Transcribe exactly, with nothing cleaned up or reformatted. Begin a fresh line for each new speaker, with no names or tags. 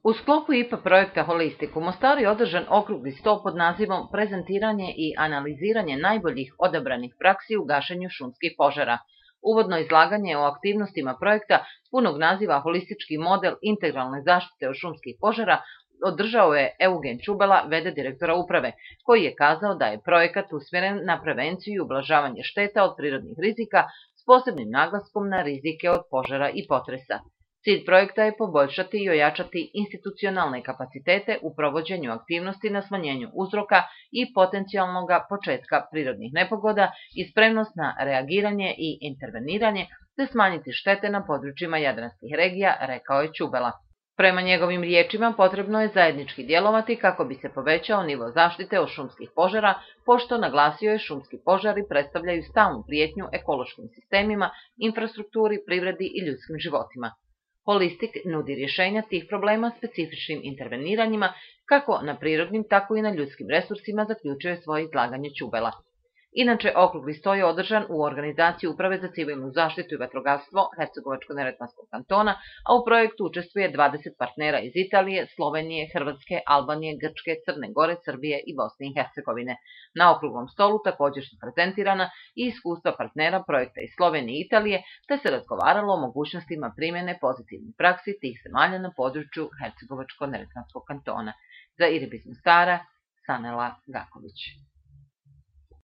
U sklopu I P A projekta Holistik u Mostaru je održan okrugli sto pod nazivom Prezentiranje i analiziranje najboljih odabranih praksi u gašenju šumskih požara. Uvodno izlaganje o aktivnostima projekta punog naziva Holistički model integralne zaštite od šumskih požara održao je Eugen Čubela, v d direktora uprave, koji je kazao da je projekat usmjeren na prevenciju i ublažavanje šteta od prirodnih rizika s posebnim naglaskom na rizike od požara i potresa. Cilj projekta je poboljšati i ojačati institucionalne kapacitete u provođenju aktivnosti na smanjenju uzroka i potencijalnog početka prirodnih nepogoda i spremnost na reagiranje i interveniranje te smanjiti štete na područjima jadranskih regija, rekao je Čubela. Prema njegovim riječima potrebno je zajednički djelovati kako bi se povećao nivo zaštite od šumskih požara, pošto naglasio je šumski požari predstavljaju stalnu prijetnju ekološkim sistemima, infrastrukturi, privredi i ljudskim životima. Holistik nudi rješenja tih problema specifičnim interveniranjima kako na prirodnim, tako i na ljudskim resursima, zaključuje svoje izlaganje Čubela. Inače, okrugli sto je održan u organizaciji Uprave za civilnu zaštitu i vatrogastvo Hercegovačko-neretvanskog kantona, a u projektu učestvuje dvadeset partnera iz Italije, Slovenije, Hrvatske, Albanije, Grčke, Crne Gore, Srbije i Bosne i Hercegovine. Na okruglom stolu također su prezentirana i iskustva partnera projekta iz Slovenije i Italije, te se razgovaralo o mogućnostima primjene pozitivnih praksi tih zemalja na području Hercegovačko-neretvanskog kantona. Za I R I B iz Mostara, Sanela Gaković.